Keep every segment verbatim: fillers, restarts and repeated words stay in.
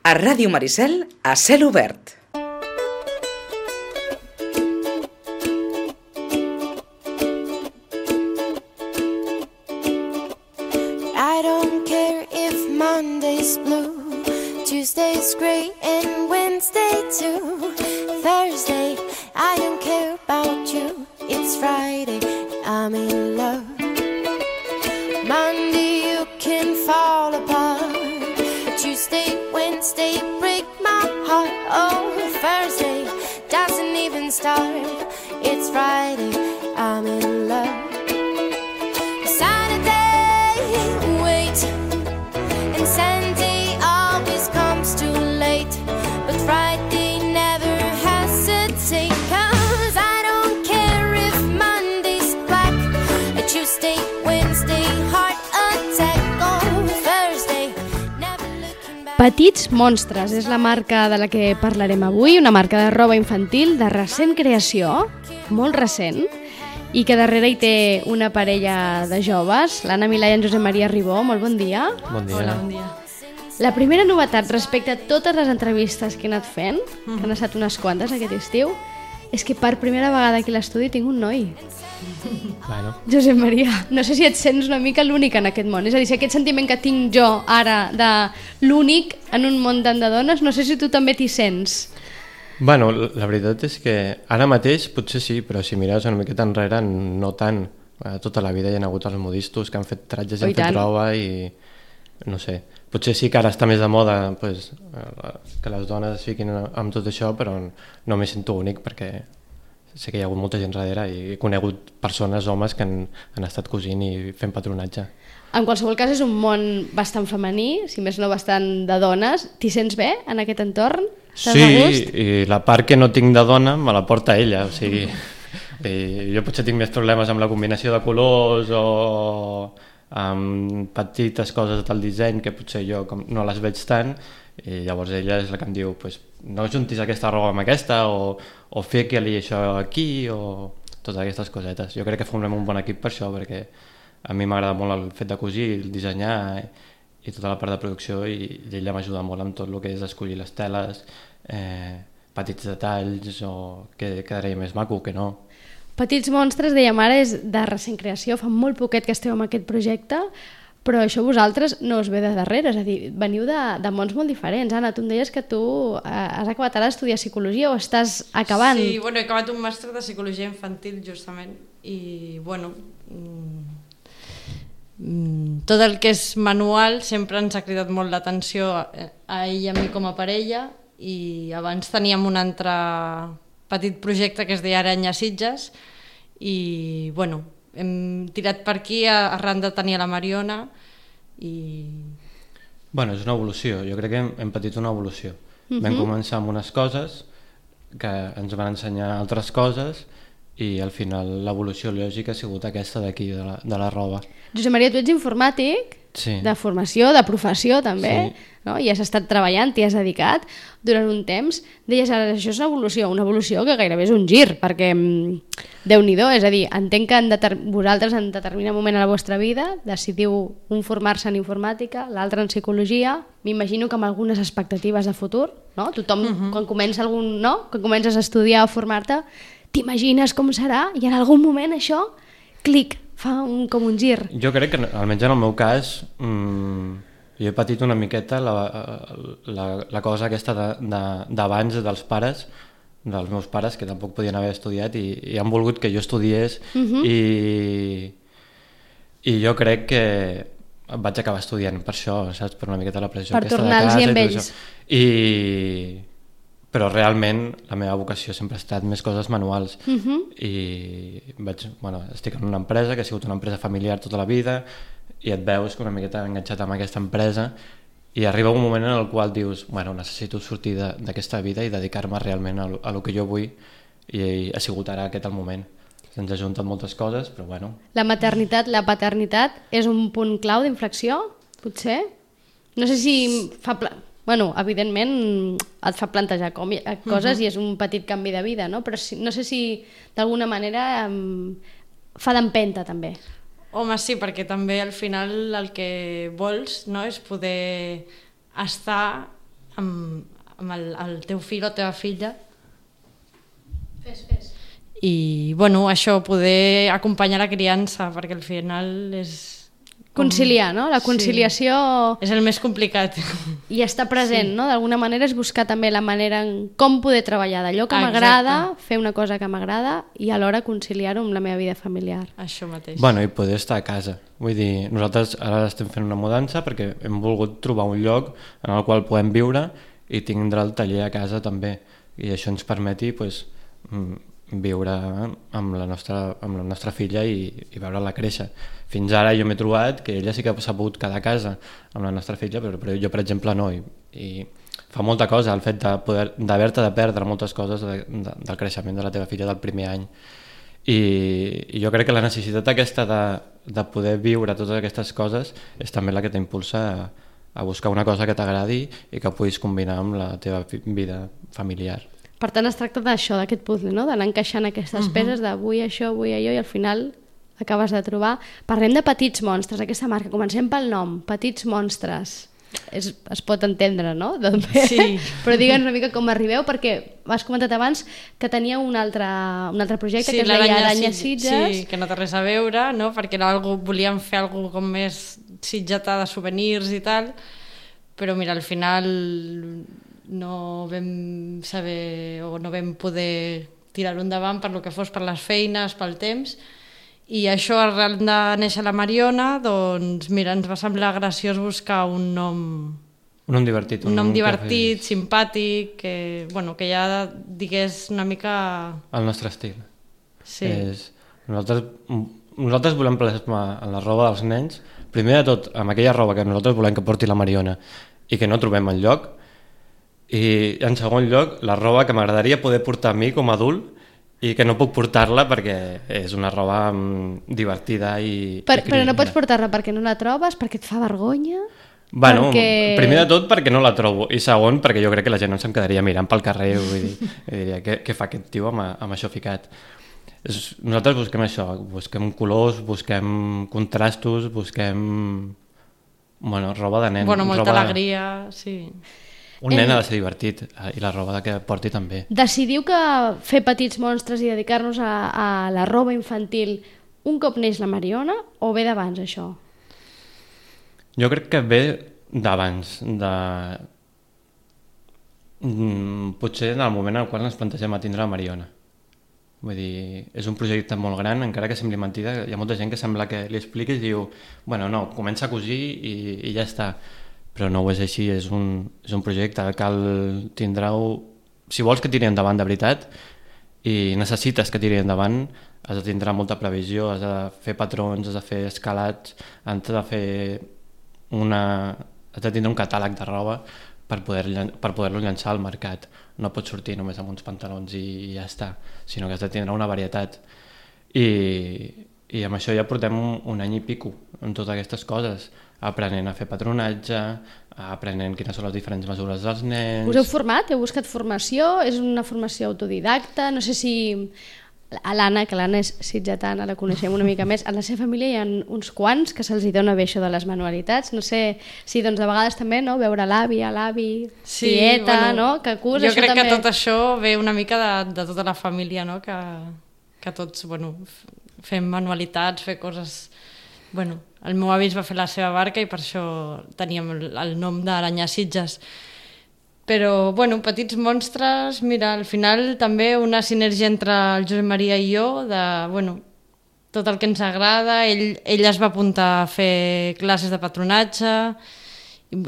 A Ràdio Maricel, a cel obert. I don't care if Monday's blue, Tuesday's gray and Wednesday too. Thursday, I don't care about you. It's Friday, I'm in love. Monday, you can fall apart. Tuesday, Wednesday, break my heart. Oh, Thursday doesn't even start. It's Friday, I'm in love. Saturday, wait. And Sunday always comes too late. But Friday never hesitate. Cause I don't care if Monday's black. A Tuesday, Wednesday, heart attack. Oh, Thursday, never looking back. Petits Monstres és la marca de la que parlarem avui, una marca de roba infantil de recent creació, molt recent, i que darrere hi té una parella de joves, l'Anna Milà i en Josep Maria Ribó. Molt bon dia. Bon dia. Hola, bon dia. La primera novetat respecte a totes les entrevistes que he anat fent, que han estat unes quantes aquest estiu, és que per primera vegada aquí a l'estudi tinc un noi. Bueno, Josep Maria, no sé si et sents una mica l'únic en aquest món. És a dir, si aquest sentiment que tinc jo ara de l'únic en un món tant de dones, no sé si tu també t'hi sents. bueno, la veritat és que ara mateix potser sí, però si mires una miqueta enrere no tant. Eh, Tota la vida hi ha hagut els modistos que han fet tratges i Oh, i han fet tant. roba i no sé, potser sí que ara està més de moda pues, eh, que les dones es fiquin amb tot això, però no m'hi sento únic perquè sé que hi ha hagut molta gent darrere i he conegut persones, homes que han, han estat cosint i fent patronatge. En qualsevol cas és un món bastant femení, si més no bastant de dones. T'hi sents bé en aquest entorn? Estàs a Sí, gust? i la part que no tinc de dona me la porta ella, o sigui, i jo potser tinc més problemes amb la combinació de colors o amb petites coses del disseny que potser jo com no les veig tant, i llavors ella és la que em diu pues, no juntis aquesta roba amb aquesta o, o fica-li això aquí o totes aquestes cosetes. Jo crec que formem un bon equip per això, perquè a mi m'agrada molt el fet de cosir, el dissenyar i tota la part de producció, i, i ella m'ajuda molt amb tot el que és escollir les teles, eh, petits detalls o que quedaria més maco que no. Petits Monstres, dèiem ara, és de recent creació, fa molt poquet que esteu amb aquest projecte, però això vosaltres no us ve de darrere, és a dir, veniu de, de mons molt diferents. Anna, tu em deies que tu eh, has acabat ara d'estudiar psicologia o estàs acabant? Sí, bueno, he acabat un màster de psicologia infantil, justament, i, bueno, mm, tot el que és manual sempre ens ha cridat molt l'atenció a, a ell i a mi com a parella, i abans teníem un altre petit projecte que es deia Aranya Sitges, i, bueno, hem tirat per aquí arran de tenir la Mariona, i... Bueno, és una evolució, jo crec que hem, hem patit una evolució. Uh-huh. Vam començar amb unes coses que ens van ensenyar altres coses i al final l'evolució lògica ha sigut aquesta d'aquí, de, la, de la roba. Josep Maria, tu ets informàtic, Sí. de formació, de professió també, Sí. no? I has estat treballant, t'hi has dedicat durant un temps. Deies ara, això és una evolució, una evolució que gairebé és un gir, perquè mm, Déu-n'hi-do, és a dir, entenc que en deter... vosaltres en determinat moment a la vostra vida decidiu un formar-se en informàtica, l'altre en psicologia, m'imagino que amb algunes expectatives de futur, no? Tothom, uh-huh. quan comença algun, no? Quan comences a estudiar o formar-te, t'imagines com serà i en algun moment això, clic, fa un, com un gir. Jo crec que, almenys en el meu cas, mmm, jo he patit una miqueta la, la, la cosa aquesta d'abans de, de, dels pares, dels meus pares, que tampoc podien haver estudiat i, i han volgut que jo estudiés uh-huh. i, i jo crec que vaig acabar estudiant per això, saps? Per una miqueta la pressió per aquesta de tornar-los casa amb i tot ells. això. I... Però realment la meva vocació sempre ha estat més coses manuals uh-huh. i vaig, bueno, estic en una empresa que ha sigut una empresa familiar tota la vida i et veus una miqueta enganxat amb aquesta empresa i arriba un moment en el qual dius, bueno, necessito sortir d'aquesta vida i dedicar-me realment a, a lo que jo vull, i, i ha sigut ara aquest el moment. Se'ns ha juntat moltes coses, però bueno. La maternitat, la paternitat és un punt clau d'inflexió, potser? No sé si fa... Pla... Bueno, evidentment et fa plantejar com, coses uh-huh. i és un petit canvi de vida, no? Però si, no sé si d'alguna manera um, fa d'empenta també. Home, sí, perquè també al final el que vols, no, és poder estar amb, amb el, el teu fill o teva filla. Fes, fes. I, bueno, això, poder acompanyar la criança, perquè al final és... Conciliar, no? La conciliació... Sí. És el més complicat. I estar present, Sí. no? D'alguna manera és buscar també la manera en com poder treballar d'allò que m'agrada, fer una cosa que m'agrada i alhora conciliar-ho amb la meva vida familiar. Això mateix. Bueno, i poder estar a casa. Vull dir, nosaltres ara estem fent una mudança perquè hem volgut trobar un lloc en el qual podem viure i tindre el taller a casa també. I això ens permeti pues, viure amb la nostra, amb la nostra filla i, i veure-la créixer. Fins ara jo m'he trobat que ella sí que s'ha pogut quedar a casa amb la nostra filla, però, però jo, per exemple, no. I, i fa molta cosa el fet de poder, d'haver-te de perdre moltes coses de, de, del creixement de la teva filla del primer any. I, i jo crec que la necessitat aquesta de, de poder viure totes aquestes coses és també la que t'impulsa a, a buscar una cosa que t'agradi i que puguis combinar amb la teva vida familiar. Per tant, es tracta d'això, d'aquest puzzle, no? D'anar encaixant aquestes uh -huh. peces d'avui això, avui allò, i al final acabes de trobar... Parlem de Petits Monstres, aquesta marca. Comencem pel nom, Petits Monstres. És, es pot entendre, no? Sí. Però digue'ns una mica com arribeu, perquè has comentat abans que tenia un altre, un altre projecte, sí, que es deia Aranya Sitges. Sí, que no té res a veure, no? Perquè era algo, volíem fer alguna com més sitgetà de souvenirs i tal, però mira, al final no vam saber o no vam poder tirar-ho endavant per lo que fos, per les feines, pel temps, i això, arran de néixer la Mariona, doncs mira, ens va semblar graciós buscar un nom... Un nom divertit. Un, un nom divertit, que... simpàtic, que, bueno, que ja digués una mica... El nostre estil. Sí. És, nosaltres, nosaltres volem plasmar en la roba dels nens, primer de tot, amb aquella roba que nosaltres volem que porti la Mariona i que no trobem enlloc, i en segon lloc, la roba que m'agradaria poder portar a mi com a adult i que no puc portar-la perquè és una roba um, divertida i... Per, i però no pots portar-la perquè no la trobes, perquè et fa vergonya? Bueno, perquè... primer de tot perquè no la trobo i segon perquè jo crec que la gent no se'm quedaria mirant pel carrer, vull dir, i diria què, què fa aquest tio amb, amb això ficat. És, nosaltres busquem això, busquem colors, busquem contrastos, busquem bueno, roba de nen. Bueno, molta roba... alegria, sí. Un nen ha de ser divertit i la roba que porti també. Decidiu que fer Petits Monstres i dedicar-nos a, a la roba infantil un cop neix la Mariona o ve d'abans això? Jo crec que ve d'abans, de... potser en el moment en el qual ens plantegem a tindre la Mariona. Vull dir, és un projecte molt gran, encara que sembli mentida, hi ha molta gent que sembla que li expliquis i diu, bueno, no, comença a cosir i, i ja està. Però no ho és així, és un, és un projecte, cal tindre-ho... Si vols que tiri endavant de veritat i necessites que tiri endavant, has de tindre molta previsió, has de fer patrons, has de fer escalats, has de fer una... has de tindre un catàleg de roba per poder, per poder-lo llançar al mercat. No pots sortir només amb uns pantalons i ja està, sinó que has de tindre una varietat. I, i amb això ja portem un, un any i pico en totes aquestes coses, aprenent a fer patronatge, aprenent quines són les diferents mesures dels nens... Us heu format? Heu buscat formació? És una formació autodidacta? No sé si... A l'Anna, que l'Anna és sitgetana, la coneixem una mica més, a la seva família hi ha uns quants que se'ls dona bé això de les manualitats. No sé si doncs de vegades també, no?, veure l'àvia, l'avi, sí, tieta, bueno, no?, que cus, jo això crec també... que tot això ve una mica de, de tota la família, no?, que, que tots, bueno, fem manualitats, fer coses... Bueno, el meu avi es va fer la seva barca i per això teníem el, el nom d'Aranya Sitges. Però, bueno, Petits Monstres, mira, al final també una sinergia entre el Josep Maria i jo, de, bueno, tot el que ens agrada, ell, ell es va apuntar a fer classes de patronatge,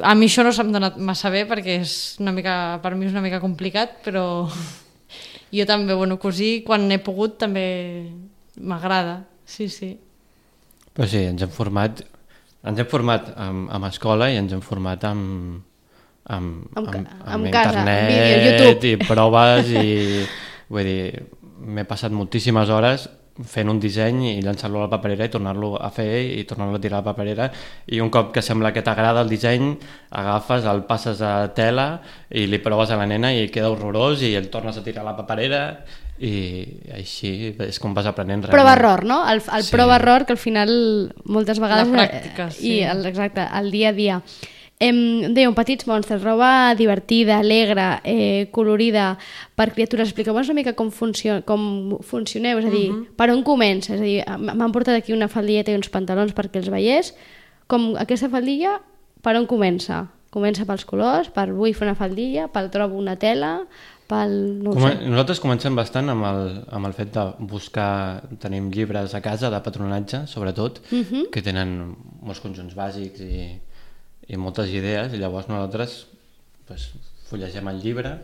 a mi això no se'm dona massa bé perquè és una mica, per mi és una mica complicat, però jo també, bueno, cosir, quan he pogut també m'agrada, sí, sí. Però sí, ens hem format, ens hem format amb, amb escola i ens hem format amb... amb, amb, amb, amb, amb casa, internet vídeo, YouTube i proves i vull dir, m'he passat moltíssimes hores fent un disseny i llançar-lo a la paperera i tornar-lo a fer i tornar-lo a tirar a la paperera i un cop que sembla que t'agrada el disseny agafes, el passes a tela i li proves a la nena i queda horrorós i el tornes a tirar a la paperera i així és com vas aprenent realment. Prova-error, no? El, el sí. Prova-error que al final moltes vegades... La pràctica, sí. I el, exacte, el dia a dia. Em, dèiem, petits monstres, roba divertida, alegre, eh, colorida, per criatures. Expliqueu-vos una mica com, funcio com funcioneu, és a dir, uh-huh. per on comença? És a dir, m'han portat aquí una faldilleta i uns pantalons perquè els veiés. Com aquesta faldilla, per on comença? Comença pels colors, per vull fer una faldilla, pel trobo una tela, pel... No Com, sé. Nosaltres comencem bastant amb el, amb el fet de buscar, tenim llibres a casa de patronatge, sobretot, uh-huh. que tenen molts conjunts bàsics i, i moltes idees, i llavors nosaltres pues, fullegem el llibre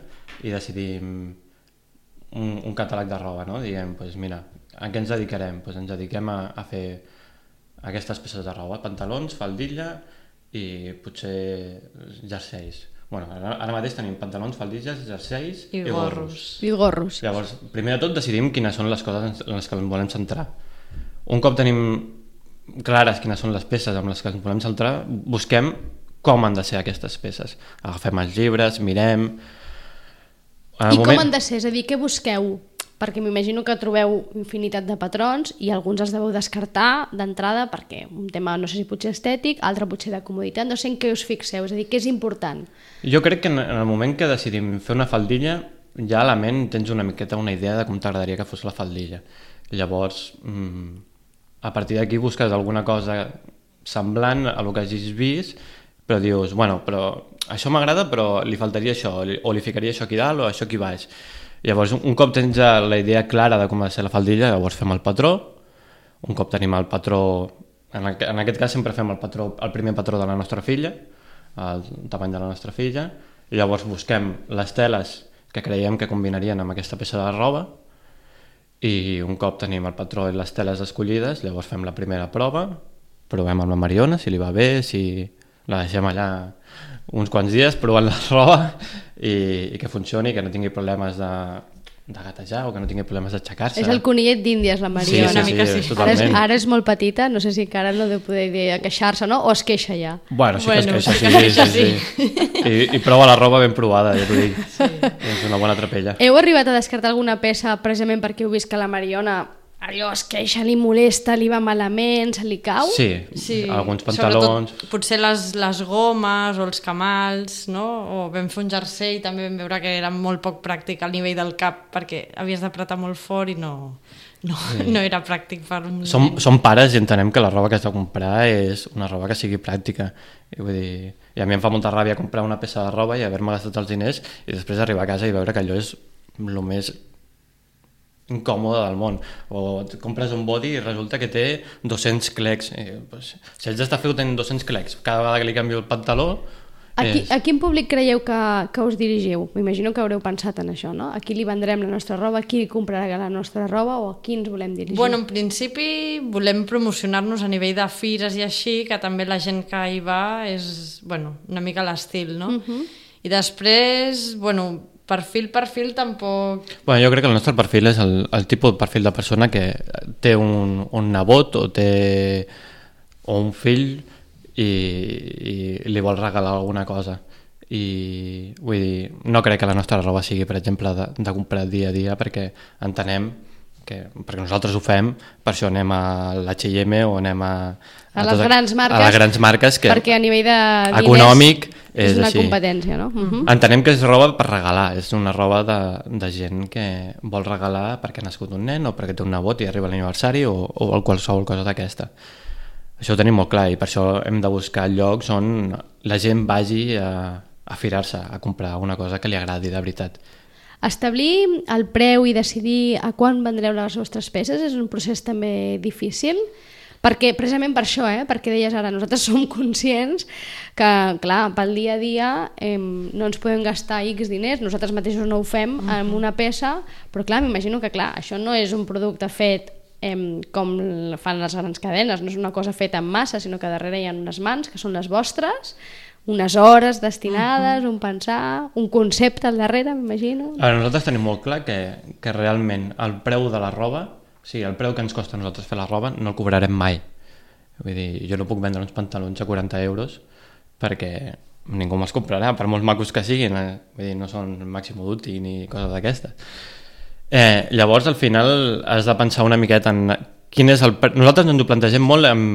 i decidim un, un catàleg de roba, no? Diguem, pues, mira, a què ens dedicarem? Pues ens dediquem a, a fer aquestes peces de roba, pantalons, faldilla i potser jerseis. Bueno, ara, ara mateix tenim pantalons, faldilles, jerseis i, i gorros. I gorros. Llavors, primer de tot decidim quines són les coses en les que ens volem centrar. Un cop tenim clares quines són les peces amb les que ens volem centrar, busquem com han de ser aquestes peces. Agafem els llibres, mirem... I moment... com han de ser? És a dir, què busqueu? Perquè m'imagino que trobeu infinitat de patrons i alguns els deveu descartar d'entrada perquè un tema, no sé si potser estètic, altre potser de comoditat, no sé en què us fixeu, és a dir, què és important? Jo crec que en el moment que decidim fer una faldilla, ja a la ment tens una miqueta una idea de com t'agradaria que fos la faldilla. Llavors, a partir d'aquí busques alguna cosa semblant a el que hagis vist, però dius, bueno, però això m'agrada, però li faltaria això, o li ficaria això aquí dalt o això aquí baix. Llavors, un cop tens ja la idea clara de com ha de ser la faldilla, llavors fem el patró. Un cop tenim el patró, en aquest cas sempre fem el patró, el primer patró de la nostra filla, el tamany de la nostra filla, i llavors busquem les teles que creiem que combinarien amb aquesta peça de roba, i un cop tenim el patró i les teles escollides, llavors fem la primera prova, provem amb la Mariona, si li va bé, si la deixem allà uns quants dies provant la roba i, i que funcioni, que no tingui problemes de, de gatejar o que no tingui problemes d'aixecar-se. És el conillet d'Índies, la Mariona. Sí, sí, una mica sí, sí. totalment. Ara és, ara és molt petita, no sé si encara no deu poder dir a queixar-se, no? O es queixa ja? Bueno, sí bueno, que es queixa, sí, sí, sí, sí. I, I prova la roba ben provada, ja t'ho dic. Sí. És una bona trapella. Heu arribat a descartar alguna peça precisament perquè heu vist que la Mariona allò es queixa, li molesta, li va malament, se li cau? Sí, sí. Alguns pantalons... Sobretot, potser les, les gomes o els camals, no? O vam fer un jersei, també vam veure que era molt poc pràctic al nivell del cap perquè havies d'apretar molt fort i no, no, sí. no era pràctic per un... Som, som pares i entenem que la roba que has de comprar és una roba que sigui pràctica. I, vull dir, i a mi em fa molta ràbia comprar una peça de roba i haver-me gastat els diners i després arribar a casa i veure que allò és el més incòmode del món, o compres un body i resulta que té dos-cents clecs. Eh, pues, si haig d'estar fent dos-cents clecs cada vegada que li canvio el pantaló... A, qui, és... a quin públic creieu que, que us dirigiu? M'imagino que haureu pensat en això, no? A qui li vendrem la nostra roba, a qui li comprarà la nostra roba o a qui ens volem dirigir? Bueno, en principi volem promocionar-nos a nivell de fires i així, que també la gent que hi va és, bueno, una mica l'estil, no? Uh-huh. I després, bueno... Perfil, perfil, tampoc... Bueno, jo crec que el nostre perfil és el, el tipus de perfil de persona que té un, un nebot o té o un fill i, i li vol regalar alguna cosa. I vull dir, no crec que la nostra roba sigui, per exemple, de, de comprar dia a dia, perquè entenem que, perquè nosaltres ho fem, per això anem a l'H i M o anem a... A, a les tot, grans marques, a les grans marques que perquè a nivell de diners econòmic és, és una així. Competència, no? Uh-huh. Entenem que és roba per regalar, és una roba de, de gent que vol regalar perquè ha nascut un nen o perquè té un nebot i arriba l'aniversari o, o qualsevol cosa d'aquesta. Això ho tenim molt clar i per això hem de buscar llocs on la gent vagi a, a firar-se, a comprar una cosa que li agradi de veritat. Establir el preu i decidir a quan vendreu les vostres peces és un procés també difícil? Perquè, precisament per això, eh? Perquè deies ara, nosaltres som conscients que, clar, pel dia a dia eh, no ens podem gastar X diners, nosaltres mateixos no ho fem uh-huh. amb una peça, però clar, m'imagino que clar, això no és un producte fet eh, com fan les grans cadenes, no és una cosa feta en massa, sinó que darrere hi ha unes mans que són les vostres, unes hores destinades, uh-huh. un pensar, un concepte al darrere, m'imagino. Ara, nosaltres tenim molt clar que, que realment el preu de la roba, o sigui, el preu que ens costa a nosaltres fer la roba no el cobrarem mai. Vull dir, jo no puc vendre uns pantalons a quaranta euros perquè ningú me'ls comprarà, per molts macos que siguin. Eh? Vull dir, no són Massimo Dutti ni coses d'aquestes. Eh, llavors, al final, has de pensar una miqueta en quin és el... Nosaltres ens ho plantegem molt en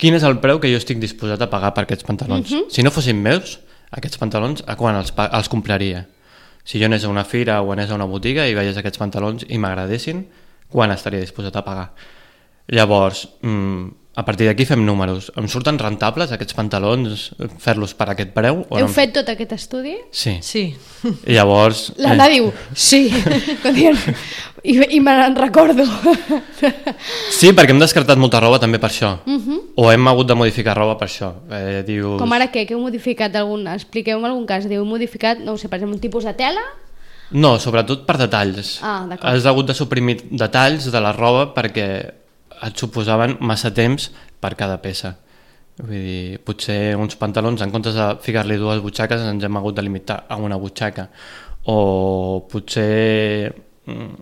quin és el preu que jo estic disposat a pagar per aquests pantalons. Mhm. Si no fossin meus, aquests pantalons, a quan els, pa- els compraria? Si jo anés a una fira o anés a una botiga i veiés aquests pantalons i m'agradessin, quan estaria disposat a pagar? Llavors, mm, a partir d'aquí fem números. Em surten rentables aquests pantalons, fer-los per aquest preu? O Heu no? fet tot aquest estudi? Sí. Sí. I llavors... L'Anna diu, sí, quan diuen, i, i me n'en recordo. Sí, perquè hem descartat molta roba també per això. O hem hagut de modificar roba per això. Eh, dius... Com ara què? Que heu modificat algun... Expliqueu-me algun cas. Diu, heu modificat, no ho sé, per exemple, un tipus de tela? No, sobretot per detalls. Ah, d'acord. Has hagut de suprimir detalls de la roba perquè et suposaven massa temps per cada peça. Vull dir, potser uns pantalons, en comptes de ficar-li dues butxaques, ens hem hagut de limitar a una butxaca. O potser mm,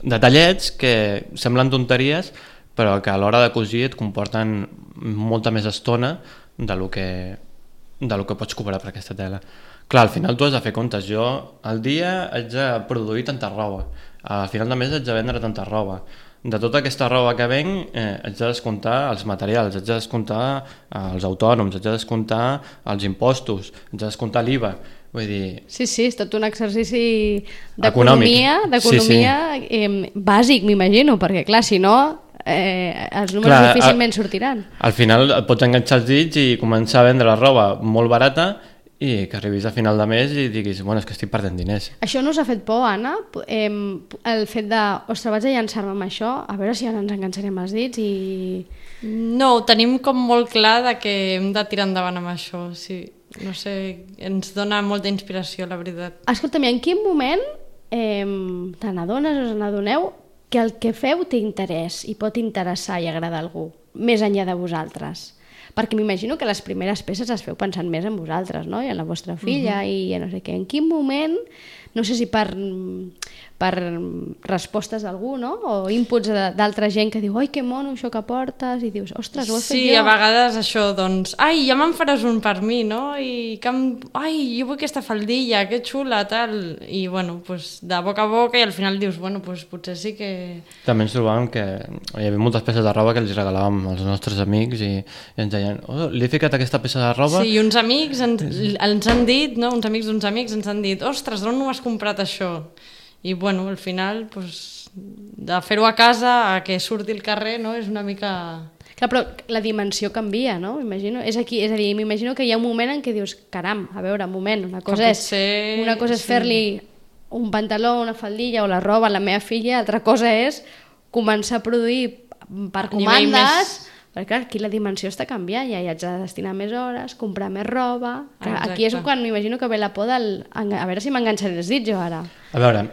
detallets que semblen tonteries, però que a l'hora de cosir et comporten molta més estona de lo que, de lo que pots cobrar per aquesta tela. Clar, al final tu has de fer comptes. Jo al dia haig de produir tanta roba, al final de mes haig de vendre tanta roba. De tota aquesta roba que venc eh, haig de descomptar els materials, haig de descomptar els autònoms, haig de descomptar els impostos, haig de descomptar l'I V A. Vull dir... Sí, sí, és tot un exercici d'economia, d'economia Sí, sí. eh, bàsic, m'imagino, perquè clar, si no, eh, els números Clar, difícilment a- sortiran. Al final et pots enganxar els dits i començar a vendre la roba molt barata i que arribis a final de mes i diguis, bueno, és que estic perdent diners. Això no us ha fet por, Anna? Eh, el fet de, ostres, vaig a llançar-me amb això, a veure si ara ens enganxarem els dits i... No, ho tenim com molt clar de que hem de tirar endavant amb això, sí. No sé, ens dona molta inspiració, la veritat. Escolta'm, i en quin moment eh, te n'adones o us n'adoneu que el que feu té interès i pot interessar i agradar a algú, més enllà de vosaltres? Perquè m'imagino que les primeres peces les feu pensant més en vosaltres, no? I en la vostra filla uh -huh. i no sé què. En quin moment, no sé si per, per respostes d'algú, no? O inputs de- d'altra gent que diu, oi, que mono això que portes, i dius, ostres, ho he fet Sí, jo. a vegades això, doncs, ai, ja me'n faràs un per mi, no? I que em... ai, jo vull aquesta faldilla, que xula, tal. I, bueno, pues, de boca a boca i al final dius, bueno, pues, potser sí que... També ens trobàvem que hi havia moltes peces de roba que els regalàvem als nostres amics i, i ens deien, oh, li he ficat aquesta peça de roba. Sí, i uns amics ens, ens han dit, no? Uns amics d'uns amics ens han dit, ostres, d'on no has comprat això? I, bueno, al final, pues, de fer-ho a casa a que surti al carrer, no? És una mica... Clar, però la dimensió canvia, no? Imagino, és aquí, és a dir, m'imagino que hi ha un moment en què dius, caram, a veure, un moment, una cosa és, potser- una cosa és sí. fer-li un pantaló, una faldilla o la roba a la meva filla, altra cosa és començar a produir per A nivell comandes, més- perquè clar, aquí la dimensió està canviant, ja hi haig de destinar més hores, comprar més roba... Clar, Exacte. aquí és quan m'imagino que ve la por del... A veure si m'enganxaré els dits jo ara. A veure,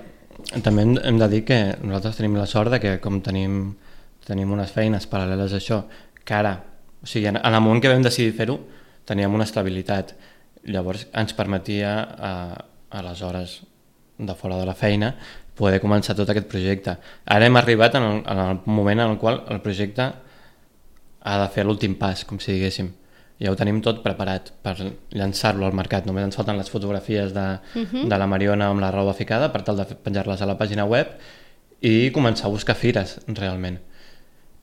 també hem, hem de dir que nosaltres tenim la sort de que com tenim, tenim unes feines paral·leles a això, que ara, o sigui, en, en el moment que vam decidir fer-ho, teníem una estabilitat. Llavors ens permetia a, a les hores de fora de la feina poder començar tot aquest projecte. Ara hem arribat en el, en el moment en el qual el projecte ha de fer l'últim pas, com si diguéssim. Ja ho tenim tot preparat per llançar-lo al mercat. Només ens falten les fotografies de, uh -huh. de la Mariona amb la roba ficada per tal de penjar-les a la pàgina web i començar a buscar fires, realment.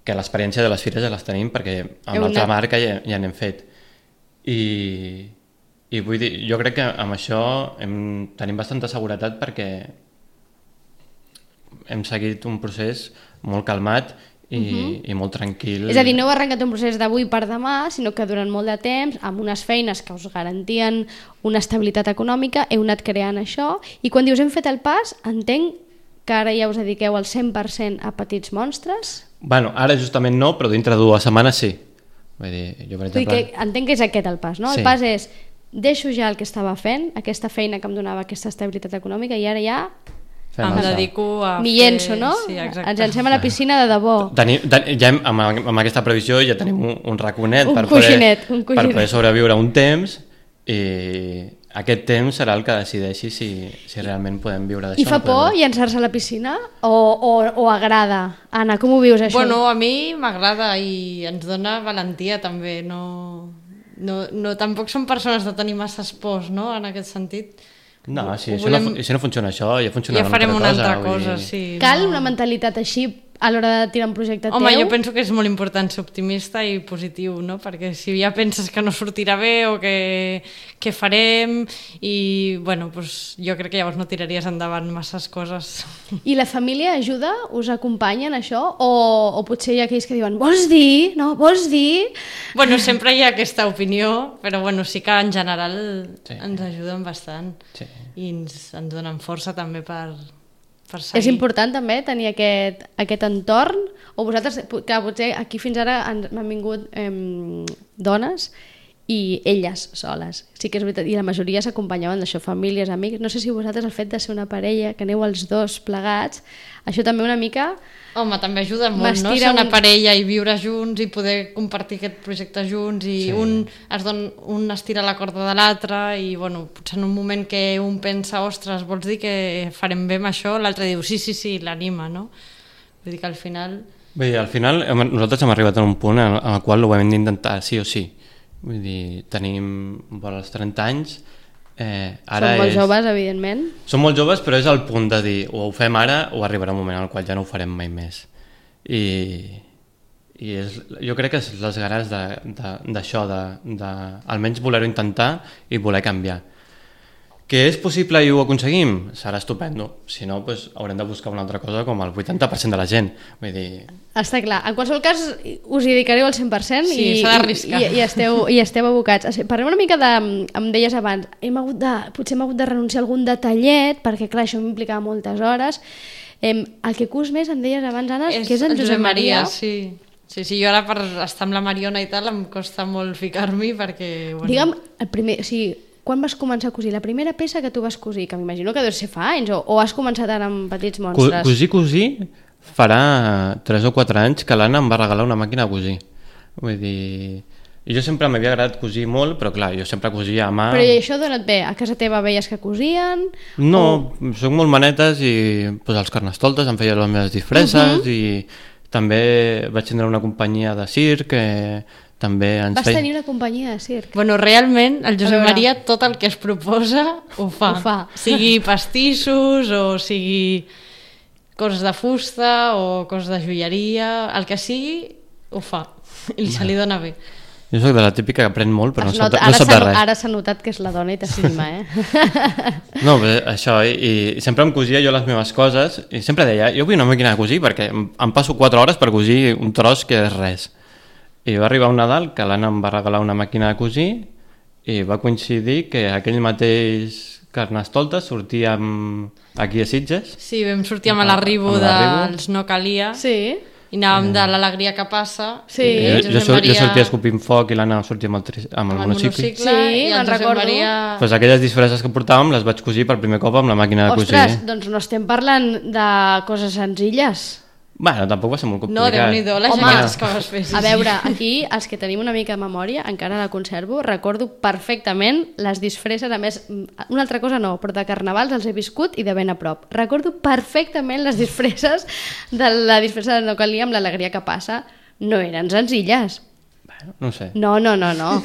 Que l'experiència de les fires ja les tenim perquè amb Heu l'altra anat- marca ja, ja n'hem fet. I, I vull dir, jo crec que amb això hem, tenim bastanta seguretat perquè hem seguit un procés molt calmat i, uh -huh. i molt tranquil. És a dir, no heu arrencat un procés d'avui per demà, sinó que durant molt de temps, amb unes feines que us garantien una estabilitat econòmica, heu anat creant això, i quan dius hem fet el pas, entenc que ara ja us dediqueu al cent per cent a petits monstres? Bueno, ara justament no, però dintre de dues setmanes sí. Vull dir, jo per Vull dir exemple... que entenc que és aquest el pas, no? Sí. El pas és, deixo ja el que estava fent, aquesta feina que em donava aquesta estabilitat econòmica, i ara ja fem Em això. dedico a m'hi fer... llenço, no? Sí, exacte. Ens llancem a la piscina de debò. Tenim, ten, ja hem, amb, amb aquesta previsió ja tenim un, un raconet Un per, coixinet, poder, un per coixinet. poder sobreviure un temps i aquest temps serà el que decideixi si, si realment podem viure d'això. I fa o no podem por viure. llançar-se a la piscina? O, o, o agrada? Anna, com ho vius això? Bueno, a mi m'agrada i ens dona valentia també, no, no, no, tampoc som persones de tenir masses pors, no?, en aquest sentit. No, si, Ho això no, volem- fu- si no funciona això, ja funciona Ja farem una altra vull cosa, dir. sí. Cal no. una mentalitat així a l'hora de tirar un projecte Home, teu? jo penso que és molt important ser optimista i positiu, no? Perquè si ja penses que no sortirà bé o que, que farem i, bueno, doncs jo crec que llavors no tiraries endavant masses coses. I la família ajuda? Us acompanya en això? O, o potser hi ha aquells que diuen vols dir? No, vols dir? Bueno, sempre hi ha aquesta opinió, però bueno, sí que en general Sí. ens ajuden bastant Sí. i ens, ens donen força també per, per seguir. És important també tenir aquest, aquest entorn? O vosaltres, que potser aquí fins ara han, han vingut eh, dones i elles soles. Sí que és veritat, i la majoria s'acompanyaven d'això, famílies, amics. No sé si vosaltres el fet de ser una parella, que aneu els dos plegats, això també una mica... Home, també ajuda molt, no? M'estira Ser una un- parella i viure junts i poder compartir aquest projecte junts i Sí. un, es don, un estira la corda de l'altre i, bueno, potser en un moment que un pensa, ostres, vols dir que farem bé amb això? L'altre diu, sí, sí, sí, l'anima, no? Vull dir que al final... Bé, al final hem, nosaltres hem arribat a un punt en, en el qual ho hem d'intentar sí o sí. Vull dir, tenim vora els trenta anys, eh, ara Som molt és... joves, evidentment. Som molt joves, però és el punt de dir o ho fem ara o arribarà un moment en el qual ja no ho farem mai més. I, i és, jo crec que és les ganes d'això, de, de, de, almenys voler-ho intentar i voler canviar. Que és possible i ho aconseguim? Serà estupendo. Si no, doncs, haurem de buscar una altra cosa com el vuitanta per cent de la gent. Vull dir... Està clar. En qualsevol cas, us hi dedicareu al cent per cent Sí, i, s'ha d'arriscar. i, i, esteu, i esteu abocats. Parlem una mica de... Em deies abans, hem hagut de, potser hem hagut de renunciar a algun detallet, perquè clar, això m'implicava moltes hores. Em, el que cus més, em deies abans, Anna, És que és en el Josep Maria. sí. Sí, sí, jo ara per estar amb la Mariona i tal em costa molt ficar-m'hi perquè... Bueno, Digue'm, el primer, o sigui, quan vas començar a cosir? La primera peça que tu vas cosir, que m'imagino que deu ser fa anys, o, o has començat ara amb petits Co monstres? cosir, cosir, farà tres o quatre anys que l'Anna em va regalar una màquina de cosir. Vull dir... Jo sempre m'havia agradat cosir molt, però clar, jo sempre cosia a mà... Però i això d'on et ve? A casa teva veies que cosien? No, O... soc molt manetes i pues, els carnestoltes em feia les meves disfresses uh -huh. i també vaig tindre una companyia de circ que també ens Vas feia... tenir una companyia de circ? Bueno, realment, el Josep veure. Maria tot el que es proposa ho fa. Ho fa. Sigui pastissos o sigui coses de fusta o coses de joieria, el que sigui ho fa i se li dona bé. Jo soc de la típica que aprèn molt, però no Es sap, nota- no ara sap s'ha- de res. Ara s'ha notat que és la dona i t'estima, eh? No, bé, això, i, i sempre em cosia jo les meves coses i sempre deia, jo vull una màquina de cosir perquè em, em passo quatre hores per cosir un tros que és res. I va arribar un Nadal que l'Anna em va regalar una màquina de cosir i va coincidir que aquell mateix Carnestoltes sortíem aquí a Sitges. Sí, vam sortir amb l'arribo Amb l'arribo. dels No Calia Sí. i anàvem de l'alegria que passa. Sí. i el Jo, jo, Josep sor- jo Maria sortia escopint foc i l'Anna sortia amb el, tri- amb el amb el monocicle. monocicle Sí, i el me'n Josep recordo. Maria... Pues aquelles disfresses que portàvem les vaig cosir per primer cop amb la màquina de Ostres, cosir. doncs no estem parlant de coses senzilles. Bueno, tampoc va ser molt No, complicat. Déu-n'hi-do, les Home, jaquetes que vas fer. Sí, A sí. veure, aquí, els que tenim una mica de memòria, encara la conservo, recordo perfectament les disfresses, a més, una altra cosa no, però de carnavals els he viscut i de ben a prop. Recordo perfectament les disfresses de la disfressa de No Calia amb l'alegria que passa. No eren senzilles. Bueno, no sé. No, no, no, no.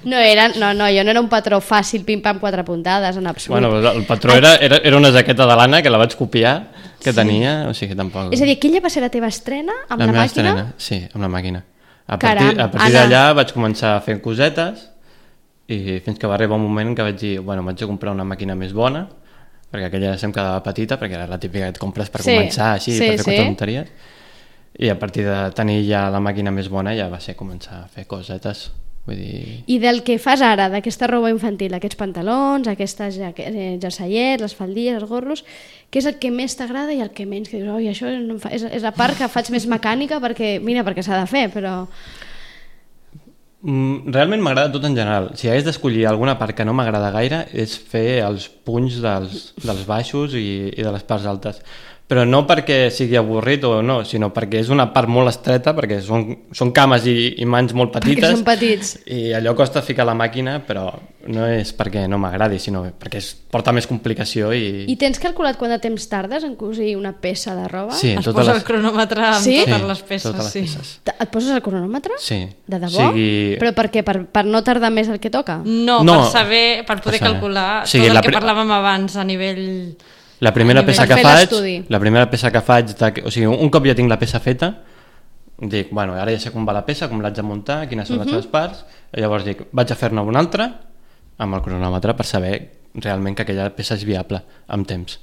no, eren, no, no, jo no era un patró fàcil, pim-pam, quatre puntades, en absolut. Bueno, el patró era, era, era una jaqueta de l'Anna que la vaig copiar, que sí. tenia, o sigui, tampoc... És a dir, aquella va ser la teva estrena amb la, meva màquina? estrena, sí, amb la màquina. A Caram, partir, a partir Anna. d'allà vaig començar a fer cosetes i fins que va arribar un moment que vaig dir, bueno, m'haig de comprar una màquina més bona, perquè aquella sempre quedava petita, perquè era la típica que et compres per Sí, començar, així, sí, per fer sí. quatre tonteries. I a partir de tenir ja la màquina més bona ja va ser començar a fer cosetes. Vull dir... I del que fas ara, d'aquesta roba infantil, aquests pantalons, aquestes jaque- eh, jerseiets, les faldilles, els gorros, què és el que més t'agrada i el que menys? Que dius, oi, això no em fa... és, és la part que faig més mecànica perquè, mira, perquè s'ha de fer, però... Mm, realment m'agrada tot en general. Si hagués d'escollir alguna part que no m'agrada gaire és fer els punys dels, dels baixos i, i de les parts altes. Però no perquè sigui avorrit o no, sinó perquè és una part molt estreta, perquè són, són cames i, i mans molt petites. Perquè són petits. I allò costa ficar la màquina, però no és perquè no m'agradi, sinó perquè es porta més complicació i... I tens calculat quant de temps tardes en cosir una peça de roba? Sí, Es totes posa les- el cronòmetre amb Sí? totes Sí, les peces. totes les sí. peces. T- Et poses el cronòmetre? Sí. De debò? Sigui- Però per què? Per, per no tardar més el que toca? No, No, per saber, per poder per saber. calcular O sigui, tot la el que pri- parlàvem abans a nivell La primera A nivell- peça Per que fer faig, l'estudi. la primera peça que faig, de, o sigui, un cop ja tinc la peça feta, dic, bueno, ara ja sé com va la peça, com l'haig de muntar, quines són uh -huh. les seves parts, i llavors dic, vaig a fer-ne una altra amb el cronòmetre per saber realment que aquella peça és viable amb temps.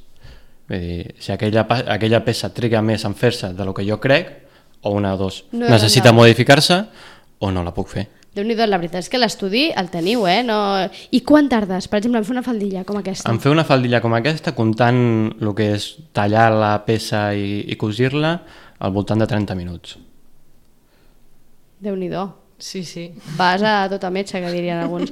Vull dir, si aquella, aquella peça triga més en fer-se de lo que jo crec, o una o dos, No, necessita no. modificar-se o no la puc fer. Déu-n'hi-do, la veritat és que l'estudi el teniu, eh? No... I quan tardes, per exemple, en fer una faldilla com aquesta? En fer una faldilla com aquesta, comptant el que és tallar la peça i, i cosir-la, al voltant de trenta minuts. Déu-n'hi-do. Sí, sí. Vas a tota metge, que dirien alguns.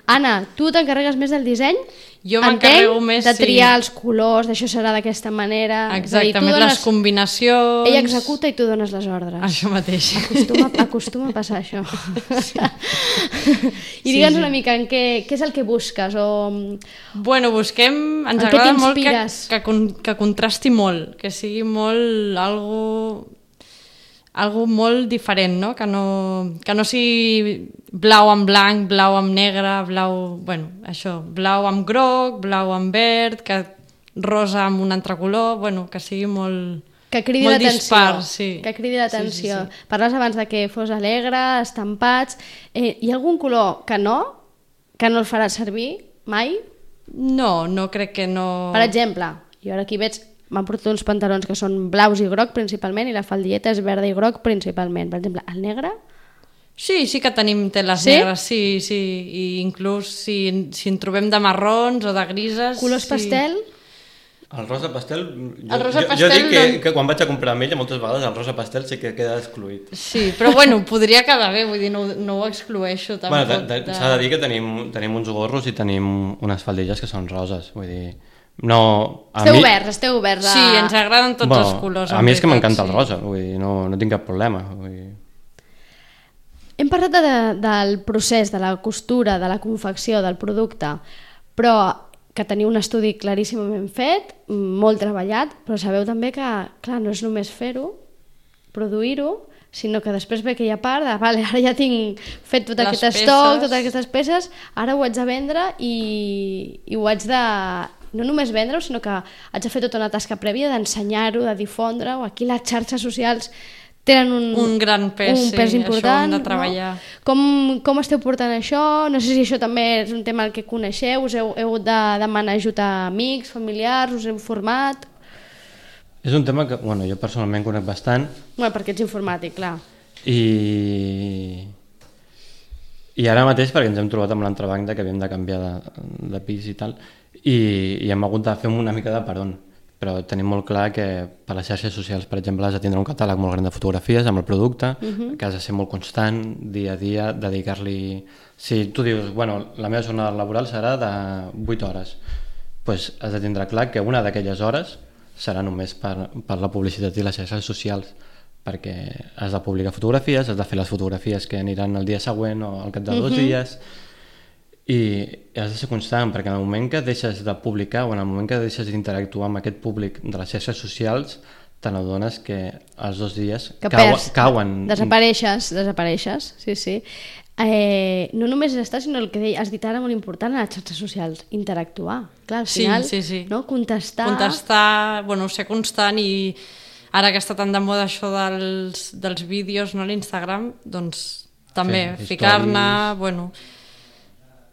Anna, tu t'encarregues més del disseny? Jo Entenc, m'encarrego més, de sí. triar els colors, d'això serà d'aquesta manera. És a dir, tu Exactament, dones- les combinacions... Ella executa i tu dones les ordres. Això mateix. Acostuma, acostuma a passar això. I digue'ns una mica en què, què és el que busques o... Bueno, busquem... Ens En què agrada molt que, t'inspires? que, con- que contrasti molt, que sigui molt algo, algo molt diferent, no? Que no, que no sigui blau amb blanc, blau amb negre, blau... Bueno, això, blau amb groc, blau amb verd, que rosa amb un altre color, bueno, que sigui molt... Que cridi molt l'atenció. dispar, sí. Que cridi l'atenció. Sí, sí, sí. Parles abans de que fos alegre, estampats... Eh, hi ha algun color que no? Que no el faràs servir mai? No, no crec que no... Per exemple, jo ara aquí veig... M'han portat uns pantalons que són blaus i groc principalment i la faldilleta és verda i groc principalment. Per exemple, el negre? Sí, sí que tenim teles Sí? negres, sí, sí, i inclús si, si en trobem de marrons o de grises... Colors sí. pastel? El rosa pastel, jo, El rosa jo, pastel jo dic que, no- que quan vaig a comprar amb ella moltes vegades el rosa pastel sí que queda excluït. Sí, però bueno, podria quedar bé, vull dir, no, no ho exclueixo tampoc. Bueno, de, de, s'ha de dir que tenim, tenim uns gorros i tenim unes faldilles que són roses, vull dir... No, a Esteu mi, oberts, esteu oberts a... Sí, ens agraden tots bueno, els colors. a en mi és que veritat, m'encanta sí. el rosa, vull dir, no, no tinc cap problema. Vull dir... Hem parlat de, del procés, de la costura, de la confecció, del producte, però que teniu un estudi claríssimament fet, molt treballat, però sabeu també que, clar, no és només fer-ho, produir-ho, sinó que després ve aquella part de, vale, ara ja tinc fet tot Les aquest peces. estoc, totes aquestes peces, ara ho haig de vendre i, i ho haig de... no només vendre-ho, sinó que haig de fer tota una tasca prèvia d'ensenyar-ho, de difondre-ho. Aquí les xarxes socials tenen un, Un gran pes, un sí, pes això important. hem de treballar. No? Com, com esteu portant això? No sé si això també és un tema al que coneixeu, us heu, heu hagut de demanar ajut a amics, familiars, us heu format... És un tema que, bueno, jo personalment conec bastant Bueno, perquè ets informàtic, clar. i... I ara mateix, perquè ens hem trobat amb l'entrebanc de que havíem de canviar de, de pis i tal, i, i hem hagut de fer una mica de perdó, però tenim molt clar que per les xarxes socials, per exemple, has de tindre un catàleg molt gran de fotografies amb el producte, uh-huh. que has de ser molt constant, dia a dia, dedicar-li... Si tu dius, bueno, la meva jornada laboral serà de vuit hores, doncs has de tindre clar que una d'aquelles hores serà només per, per la publicitat i les xarxes socials, perquè has de publicar fotografies, has de fer les fotografies que aniran el dia següent o al cap de dos uh-huh. dies, i has de ser constant, perquè en el moment que deixes de publicar o en el moment que deixes d'interactuar amb aquest públic de les xarxes socials, te n'adones que els dos dies Que cauen, perds, cauen. desapareixes, desapareixes, sí, sí. Eh, no només és estar, sinó el que has dit ara molt important a les xarxes socials, interactuar. Clar, al Sí, final, sí, sí. no? Contestar... Contestar, bueno, ser constant i ara que està tan de moda això dels, dels vídeos, no, a l'Instagram, doncs també Fer ficar-ne, stories. bueno,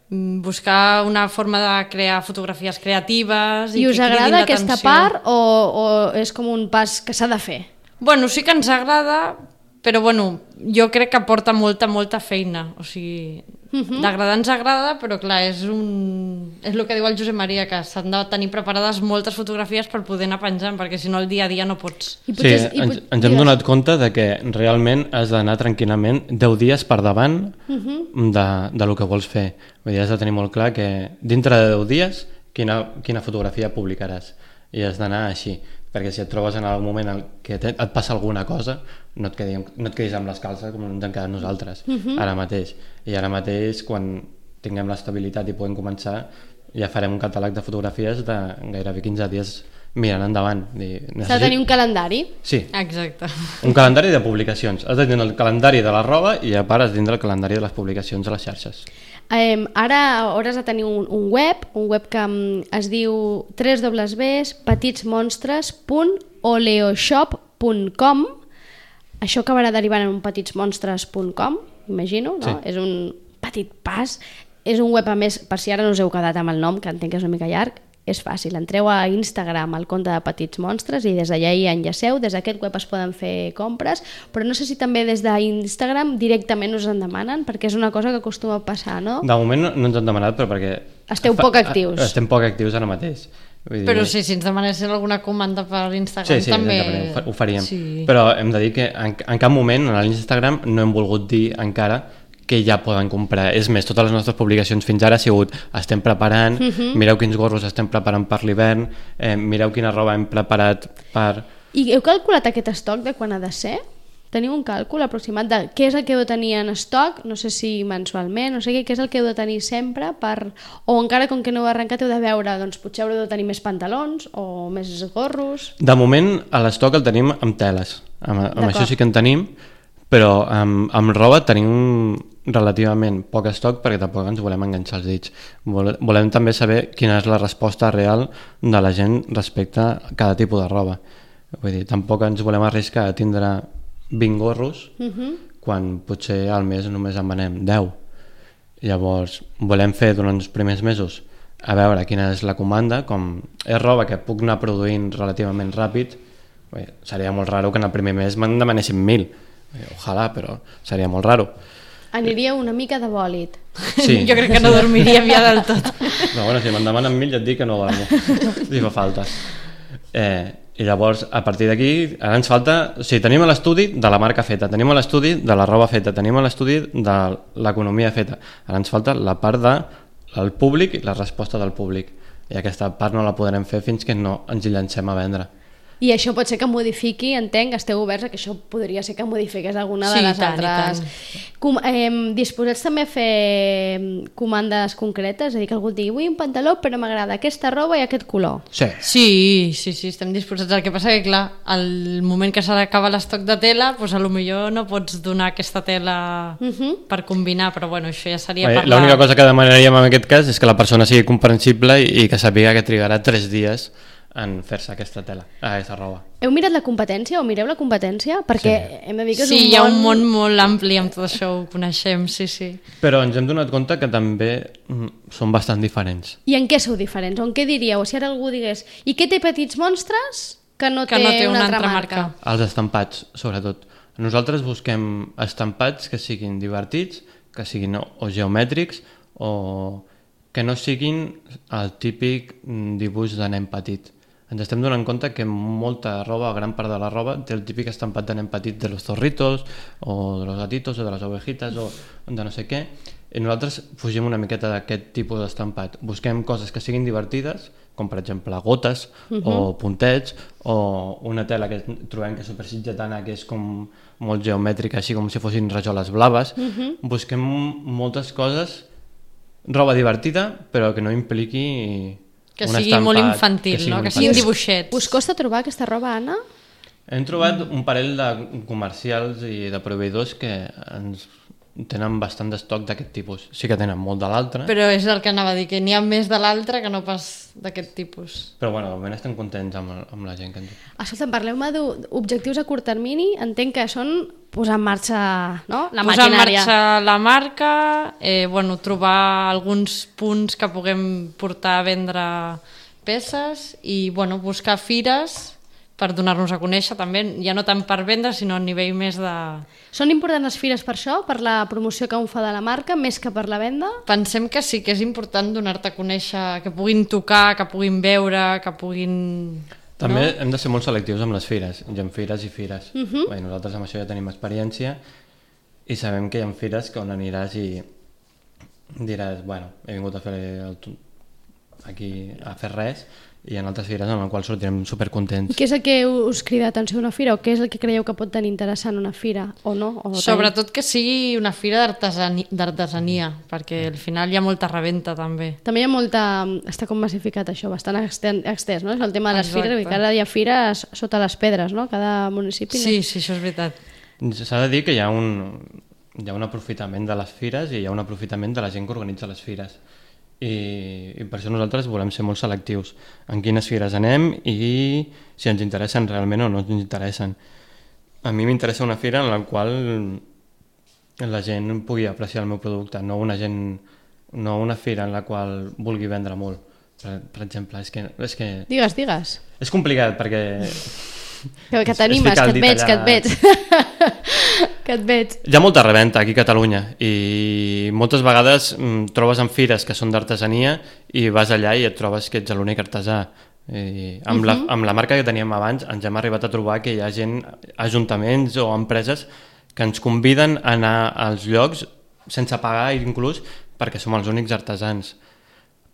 mm, buscar una forma de crear fotografies creatives i, I us que cridin agrada aquesta l'atenció. part o, o és com un pas que s'ha de fer? Bueno, sí que ens agrada, però bueno, jo crec que aporta molta, molta feina. O sigui, uh-huh. d'agradar ens agrada, però clar, és un... és el que diu el Josep Maria, que s'han de tenir preparades moltes fotografies per poder anar penjant, perquè si no el dia a dia no pots. I Sí, potser- i ens, pot- ens hem digues. donat compte de que realment has d'anar tranquil·lament deu dies per davant Uh-huh. de, de lo que vols fer. Vull dir, has de tenir molt clar que dintre de deu dies quina, quina fotografia publicaràs, i has d'anar així, perquè si et trobes en algun moment en què te, et passa alguna cosa, no et, quedi, no et quedis amb les calces com ens hem quedat nosaltres uh-huh. ara mateix. I ara mateix, quan tinguem l'estabilitat i podem començar, ja farem un catàleg de fotografies de gairebé quinze dies mirant endavant. Dir, S'ha de necessit... tenir un calendari. Sí, Exacte. un calendari de publicacions. Has de tindre el calendari de la roba i a part has de tindre el calendari de les publicacions a les xarxes. Eh, ara hauràs de tenir un, un web, un web que um, es diu w w w punt petitsmonstres punt oleoshop punt com. Això acabarà derivant en un petitsmonstres punt com, imagino, no? Sí. És un petit pas. És un web, a més, per si ara no us heu quedat amb el nom, que entenc que és una mica llarg, és fàcil. Entreu a Instagram, al compte de Petits Monstres, i des d'allà hi enllaceu. Des d'aquest web es poden fer compres, però no sé si també des d'Instagram directament us en demanen, perquè és una cosa que acostuma a passar, no? De moment no, no ens han demanat, però perquè... Esteu poc actius. Estem poc actius ara mateix. Vull dir... Però sí, si ens demanessin alguna comanda per Instagram sí, sí, també... ho, fa, ho faríem. Sí. Però hem de dir que en, en cap moment a l'Instagram no hem volgut dir encara que ja poden comprar. És més, totes les nostres publicacions fins ara ha sigut estem preparant, uh-huh. mireu quins gorros estem preparant per l'hivern, eh, mireu quina roba hem preparat per... I heu calculat aquest estoc de quan ha de ser? Teniu un càlcul aproximat de què és el que heu de tenir en estoc, no sé si mensualment, no sé què, què és el que heu de tenir sempre per... O encara com que no heu arrencat heu de veure, doncs potser haureu de tenir més pantalons o més gorros... De moment a l'estoc el tenim amb teles, amb, amb això sí que en tenim, però amb, amb roba tenim relativament poc estoc perquè tampoc ens volem enganxar els dits. Volem també saber quina és la resposta real de la gent respecte a cada tipus de roba. Vull dir, tampoc ens volem arriscar a tindre vint gorros uh-huh. quan potser al mes només en venem deu. Llavors volem fer durant els primers mesos a veure quina és la comanda, com és roba que puc anar produint relativament ràpid. Bé, seria molt raro que en el primer mes me'n demanessin mil. Ojalà, però seria molt raro. Aniria una mica de bòlit. Sí. Jo crec que no dormiríem ja del tot. No, bueno, si me'n demanen mil ja et dic que no dormo, si fa falta. Eh, I llavors, a partir d'aquí, ara ens falta... O sigui, tenim l'estudi de la marca feta, tenim l'estudi de la roba feta, tenim l'estudi de l'economia feta. Ara ens falta la part del públic i la resposta del públic. I aquesta part no la podrem fer fins que no ens hi llancem a vendre. I això pot ser que modifiqui, entenc, esteu oberts a que això podria ser que modifiqués alguna de sí, les tant, altres... Com, eh, disposats també a fer comandes concretes? És a dir, que algú digui, vull un pantaló però m'agrada aquesta roba i aquest color. Sí. Sí, sí, sí, estem disposats. El que passa que, clar, al moment que s'ha d'acabar l'estoc de tela, doncs a lo millor no pots donar aquesta tela uh-huh. per combinar, però bueno, això ja seria Bé, per la... L'única cosa que demanaríem en aquest cas és que la persona sigui comprensible i, i que sàpiga que trigarà tres dies en fer-se aquesta tela, aquesta roba. Heu mirat la competència o mireu la competència? Perquè sí. hem de dir que és sí, un món... hi ha un món molt ampli amb tot això, ho coneixem, sí, sí. Però ens hem donat compte que també mm, són bastant diferents. I en què sou diferents? O en què diríeu? Si ara algú digués, i què té Petits Monstres que no, que té, no té una, una altra altra marca? marca? Els estampats, sobretot. Nosaltres busquem estampats que siguin divertits, que siguin o, o geomètrics o que no siguin el típic dibuix de nen petit. Ens estem donant compte que molta roba, gran part de la roba, té el típic estampat de nen petit de los zorritos, o de los gatitos, o de les ovejitas, o de no sé què. I nosaltres fugim una miqueta d'aquest tipus d'estampat. Busquem coses que siguin divertides, com per exemple gotes, uh-huh. o puntets, o una tela que trobem que és supersitgetana, que és com molt geomètrica, així com si fossin rajoles blaves. Uh-huh. Busquem moltes coses, roba divertida, però que no impliqui... Que sigui estampat, molt infantil, que sigui no? Que siguin dibuixets. Us costa trobar aquesta roba, Anna? Hem trobat un parell de comercials i de proveïdors que ens tenen bastant d'estoc d'aquest tipus. Sí que tenen molt de l'altre. Però és el que anava a dir, que n'hi ha més de l'altre que no pas d'aquest tipus. Però bueno, de moment estem contents amb, amb la gent que ens diu. Escolta, parleu-me d'objectius a curt termini. Entenc que són posar en marxa, no? La posar maquinària. en marxa la marca, eh, bueno, trobar alguns punts que puguem portar a vendre peces i bueno, buscar fires per donar-nos a conèixer també, ja no tant per vendre sinó a nivell més de... Són importants les fires per això, per la promoció que un fa de la marca, més que per la venda? Pensem que sí, que és important donar-te a conèixer, que puguin tocar, que puguin veure, que puguin... També no? hem de ser molt selectius amb les fires, hi ha fires i fires. Uh-huh. Bé, nosaltres amb això ja tenim experiència i sabem que hi ha fires que on aniràs i diràs, bueno, he vingut a fer el... aquí a fer res, i en altres fires en les quals sortirem supercontents. Què és el que us crida l'atenció a una fira o què és el que creieu que pot tenir interessant una fira o no? O Sobretot tenir... que sigui una fira d'artesania, perquè al final hi ha molta reventa també. També hi ha molta... està com massificat això, bastant extès, no? És el tema de les Exacte. fires, que ara hi ha fires sota les pedres, no? Cada municipi. Sí, sí, això és veritat. S'ha de dir que hi ha un... hi ha un aprofitament de les fires i hi ha un aprofitament de la gent que organitza les fires. I, i per això nosaltres volem ser molt selectius en quines fires anem i si ens interessen realment o no ens interessen. A mi m'interessa una fira en la qual la gent pugui apreciar el meu producte, no una, gent, no una fira en la qual vulgui vendre molt. Per, per exemple, és que, és que... Digues, digues. És complicat perquè... Que, que t'animes, que et veig, que et veig. Que et veig. Hi ha molta reventa aquí a Catalunya i moltes vegades mm, trobes en fires que són d'artesania i vas allà i et trobes que ets l'únic artesà. I amb, uh -huh. la, amb la marca que teníem abans ens hem arribat a trobar que hi ha gent, ajuntaments o empreses que ens conviden a anar als llocs sense pagar inclús perquè som els únics artesans.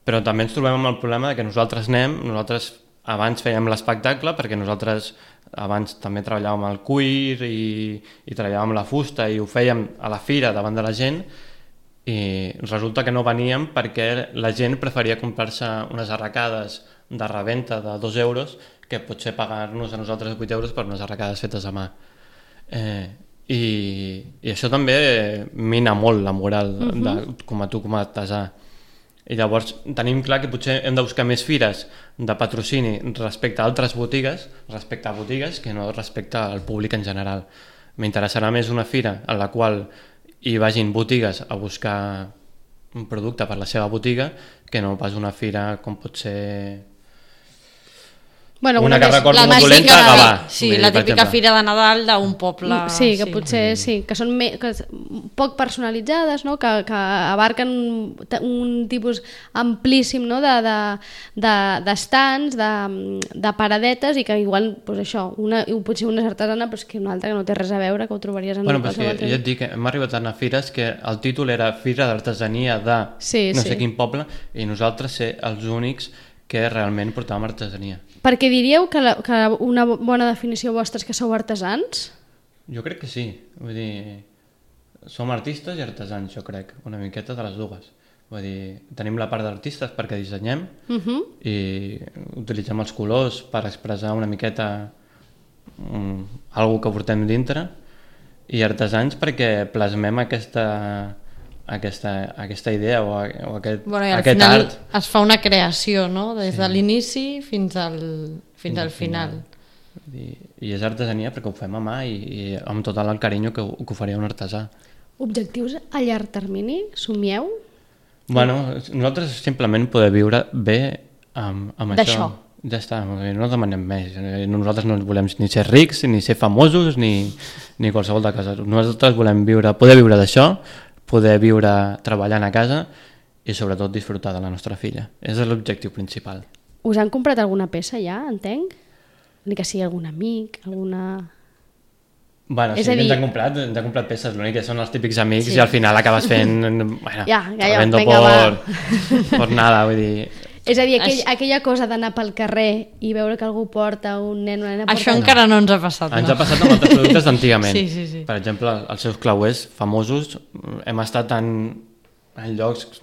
Però també ens trobem amb el problema que nosaltres anem, nosaltres abans fèiem l'espectacle perquè nosaltres abans també treballàvem el cuir i, i treballàvem la fusta i ho fèiem a la fira davant de la gent i resulta que no veníem perquè la gent preferia comprar-se unes arracades de reventa de dos euros que potser pagar-nos a nosaltres vuit euros per unes arracades fetes a mà. Eh, i, i això també mina molt la moral uh -huh. de, com a tu com a artesà. I llavors tenim clar que potser hem de buscar més fires de patrocini respecte a altres botigues, respecte a botigues, que no respecte al públic en general. M'interessarà més una fira en la qual hi vagin botigues a buscar un producte per la seva botiga que no pas una fira com pot ser... Bueno, una una que recordo la molt dolenta, típica- Gavà. Sí, Vull dir, la per típica exemple. fira de Nadal d'un poble. Sí, que potser sí, que són me, que s- poc personalitzades, no? que, que abarquen un, un tipus amplíssim, no? de, de, de, d'estants, de, de paradetes i que igual, pues això, una, potser una és artesana però és que una altra que no té res a veure, que ho trobaries en Bueno, però és qualsevol que altre ja et dic que hem arribat a anar a fires que el títol era Fira d'Artesania de Sí, no sí. sé quin poble i nosaltres ser els únics que realment portàvem artesania. Perquè diríeu que, la, que una bona definició vostra és que sou artesans? Jo crec que sí, vull dir, som artistes i artesans, jo crec, una miqueta de les dues. Vull dir, tenim la part d'artistes perquè dissenyem Uh -huh. i utilitzem els colors per expressar una miqueta um, algo que portem dintre i artesans perquè plasmem aquesta, aquesta, aquesta idea o, o aquest, Bueno, i al aquest final art. es fa una creació, no? Des Sí. de l'inici fins al, fins al final. Vull dir, I és artesania perquè ho fem a mà i, i amb tot el carinyo que, ho- que ho faria un artesà. Objectius a llarg termini? Somieu? Bueno, nosaltres simplement poder viure bé amb, amb això. D'això. Ja està, no demanem més. Nosaltres no volem ni ser rics, ni ser famosos, ni, ni qualsevol de cosa. Nosaltres volem viure, poder viure d'això, poder viure treballant a casa i sobretot disfrutar de la nostra filla. És l'objectiu principal. Us han comprat alguna peça ja, entenc? Ni que sigui algun amic, alguna... Bueno, És sí, a dir- ens han comprat, ens han comprat peces, l'únic que són els típics amics Sí. i al final acabes fent... Bueno, Ja, ja, ja, vendo vinga, por, va. por nada, vull dir... És a dir, aquell, Això- aquella cosa d'anar pel carrer i veure que algú porta, un nen, una nena porta... Això encara no ens ha passat. Ens no? ha passat amb altres productes d'antigament. Sí, sí, sí. Per exemple, els seus clauers famosos, hem estat en, en llocs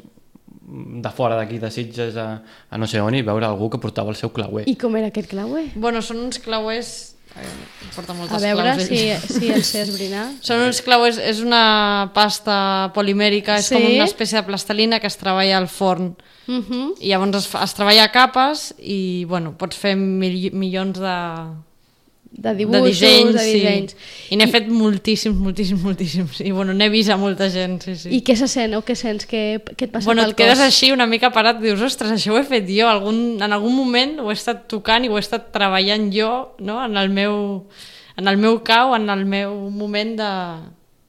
de fora d'aquí, de Sitges, a, a no sé on, i veure algú que portava el seu clauer. I com era aquest clauer? Bueno, són uns clauers... Eh, porta moltes A veure claus, si, ell. si el sé esbrinar. Són uns clauers, és una pasta polimèrica, és Sí? com una espècie de plastelina que es treballa al forn. Uh -huh. I llavors es, fa- es treballa a capes i bueno, pots fer mil, milions de, De dibuixos, de dissenys, de dissenys. Sí. I n'he fet moltíssims, moltíssims, moltíssims. I bueno, n'he vist a molta gent, sí, sí. I què se sent o què sents? Què, què et passa bueno, pel et quedes cos? així una mica parat i dius, ostres, això ho he fet jo. Algun, en algun moment ho he estat tocant i ho he estat treballant jo, no? en, el meu, en el meu cau, en el meu moment de,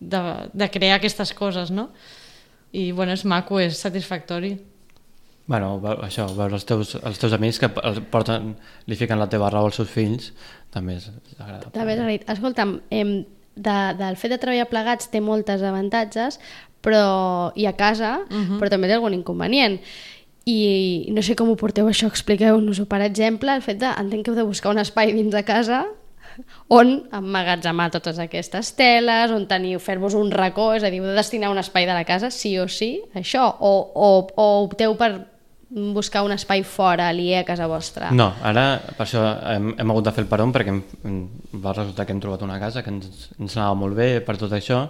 de, de crear aquestes coses, no? I bueno, és maco, és satisfactori. Bueno, ve- això, veure els teus, els teus amics que el porten, li fiquen la teva raó als seus fills, també és agradable. També és agraït. Escolta'm, em, de, del fet de treballar plegats té moltes avantatges, però i a casa, uh -huh. però també té algun inconvenient. I no sé com ho porteu això, expliqueu-nos-ho. Per exemple, el fet de, entenc que heu de buscar un espai dins de casa on emmagatzemar totes aquestes teles, on teniu, fer-vos un racó, és a dir, heu de destinar un espai de la casa, sí o sí, això, o, o, o opteu per buscar un espai fora, aliè a casa vostra. No, ara per això hem, hem hagut de fer el peron perquè em, em va resultar que hem trobat una casa que ens, ens anava molt bé per tot això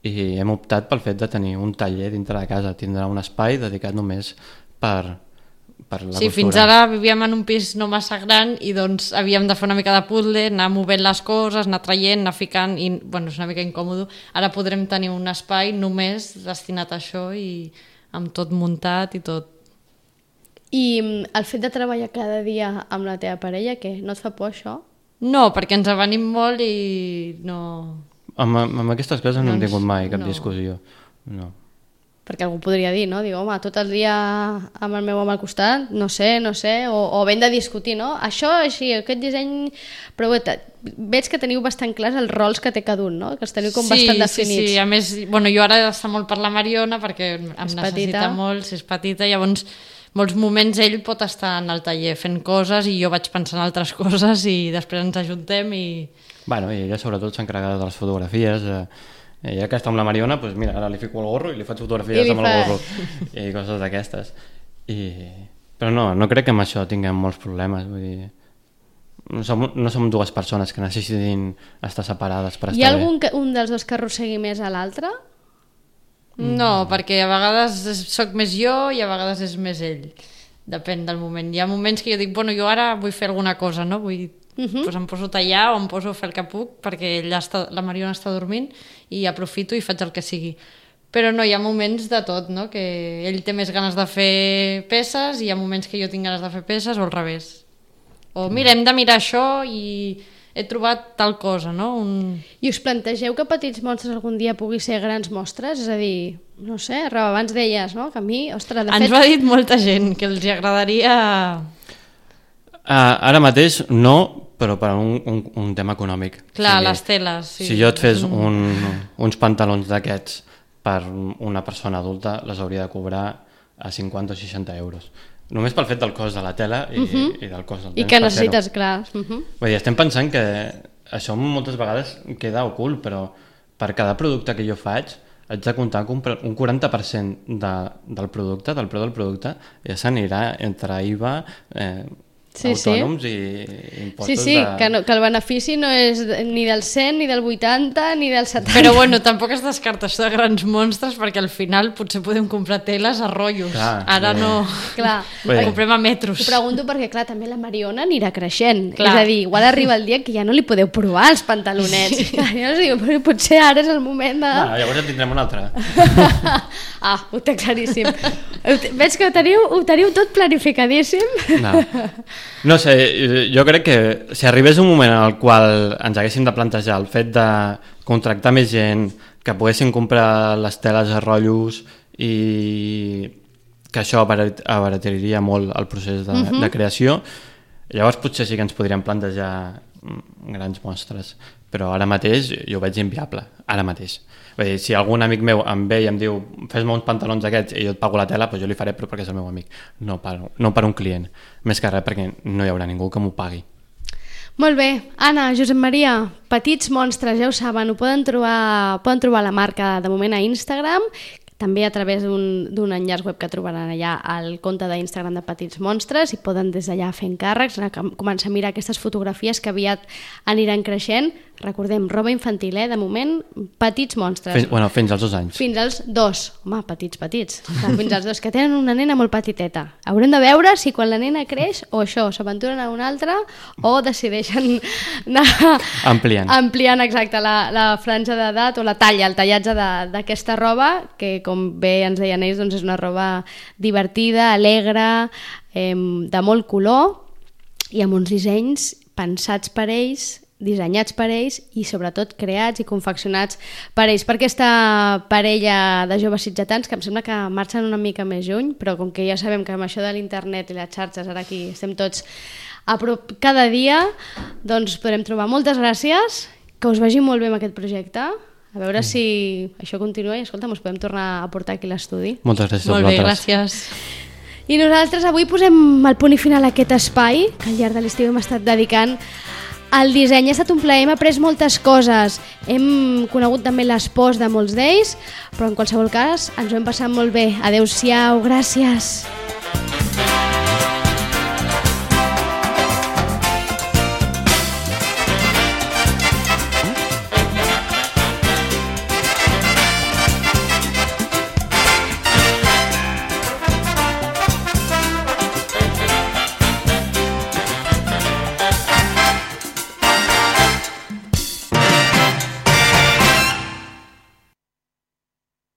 i hem optat pel fet de tenir un taller dintre de casa, tindrà un espai dedicat només per, per la sí, costura. Fins ara vivíem en un pis no massa gran i doncs havíem de fer una mica de puzzle, anar movent les coses, anar traient, anar ficant, i bueno, és una mica incòmode. Ara podrem tenir un espai només destinat a això i amb tot muntat i tot. I el fet de treballar cada dia amb la teva parella, què? No et fa por això? No, perquè ens avenim molt i no... Amb, amb aquestes coses no, no hem tingut mai cap no. discussió. No. Perquè algú podria dir, no? Diu, home, tot el dia amb el meu home al costat, no sé, no sé, o, o ben de discutir, no? Això, així, aquest disseny... Però veig que teniu bastant clars els rols que té cada un, no? Que els teniu com sí, bastant definits. Sí, sí, a més, bueno, jo ara està molt per la Mariona perquè em és necessita petita. molt, si és petita, llavors molts moments ell pot estar en el taller fent coses i jo vaig pensant en altres coses i després ens ajuntem i... Bueno, i ella sobretot s'encarrega de les fotografies. Eh, ja que està amb la Mariona, doncs mira, ara li fico el gorro i li faig fotografies li amb fa... el gorro i coses d'aquestes. I... Però no, no crec que amb això tinguem molts problemes. Vull dir, no som, no som dues persones que necessitin estar separades per estar bé. Hi ha algun que, un dels dos que arrossegui més a l'altre? No, perquè a vegades sóc més jo i a vegades és més ell. Depèn del moment. Hi ha moments que jo dic, bueno, jo ara vull fer alguna cosa, no? Vull... Uh-huh. Pues em poso a tallar o em poso a fer el que puc perquè ella està, la Mariona està dormint i aprofito i faig el que sigui. Però no, hi ha moments de tot, no? Que ell té més ganes de fer peces i hi ha moments que jo tinc ganes de fer peces o al revés. O mira, hem de mirar això i he trobat tal cosa, no? Un... I us plantegeu que Petits Monstres algun dia pugui ser grans mostres? És a dir, no sé, Roba, abans deies, no? Que a mi, ostres, de Ens fet... ho ha dit molta gent, que els agradaria... Uh, ara mateix no, però per un, un, un tema econòmic. Clar, o sigui, les teles, sí. Si jo et fes un, uns pantalons d'aquests per una persona adulta, les hauria de cobrar a cinquanta o seixanta euros. Només pel fet del cost de la tela i, uh -huh. i del cost del temps. I que necessites, clar. Uh -huh. Vull dir, estem pensant que això moltes vegades queda ocult, però per cada producte que jo faig haig de comptar que un quaranta per cent de, del producte, del preu del producte, ja s'anirà entre I V A, eh, sí, autònoms sí. i impostos. Sí, sí, de... que, no, que el benefici no és ni del cent, ni del vuitanta, ni del setanta. Però bueno, tampoc es descarta això de grans monstres perquè al final potser podem comprar teles a rotllos. Clar, ara bé. No... Clar. Bé. Comprem a metros. Ho pregunto perquè, clar, també la Mariona anirà creixent. Clar. És a dir, igual arriba el dia que ja no li podeu provar els pantalonets. Sí. Clar, jo no sé, però potser ara és el moment de... Ah, llavors en tindrem un altre. Ah, ho té claríssim. Veig que ho teniu, ho teniu tot planificadíssim. No. No sé, jo crec que si arribés un moment en el qual ens haguéssim de plantejar el fet de contractar més gent, que poguessin comprar les teles a rotllos i que això abarataria molt el procés de, uh-huh. de creació, llavors potser sí que ens podríem plantejar grans mostres, però ara mateix jo ho veig inviable, ara mateix. Vull dir, si algun amic meu em ve i em diu fes-me uns pantalons aquests i jo et pago la tela, doncs jo li faré, però perquè és el meu amic, no per, no per un client, més que res perquè no hi haurà ningú que m'ho pagui. Molt bé, Anna, Josep Maria, Petits Monstres, ja ho saben, ho poden trobar, poden trobar la marca de moment a Instagram, també a través d'un enllaç web que trobaran allà al compte d'Instagram de Petits Monstres i poden des d'allà fer encàrrecs, començar a mirar aquestes fotografies que aviat aniran creixent. Recordem, roba infantil, eh? De moment, Petits Monstres. Fins, bueno, fins als dos anys. Fins als dos. Home, petits, petits. Fins als dos, que tenen una nena molt petiteta. Haurem de veure si quan la nena creix o això, s'aventuren a una altra o decideixen anar ampliant, ampliant exacte, la, la franja d'edat o la talla, el tallatge d'aquesta roba, que com bé ens deien ells, doncs és una roba divertida, alegre, eh, de molt color i amb uns dissenys pensats per ells, dissenyats per ells i sobretot creats i confeccionats per ells, per aquesta parella de joves sitgetans que em sembla que marxen una mica més lluny, però com que ja sabem que amb això de l'internet i les xarxes ara aquí estem tots a prop cada dia, doncs podrem trobar. Moltes gràcies, que us vagi molt bé amb aquest projecte, a veure si això continua i escolta, ens podem tornar a portar aquí a l'estudi. Moltes gràcies a vosaltres. Molt bé, gràcies. I nosaltres avui posem el punt i final a aquest espai que al llarg de l'estiu hem estat dedicant el disseny. Ha estat un plaer, hem après moltes coses, hem conegut també les pors de molts d'ells, però en qualsevol cas ens ho hem passat molt bé. Adéu-siau, gràcies.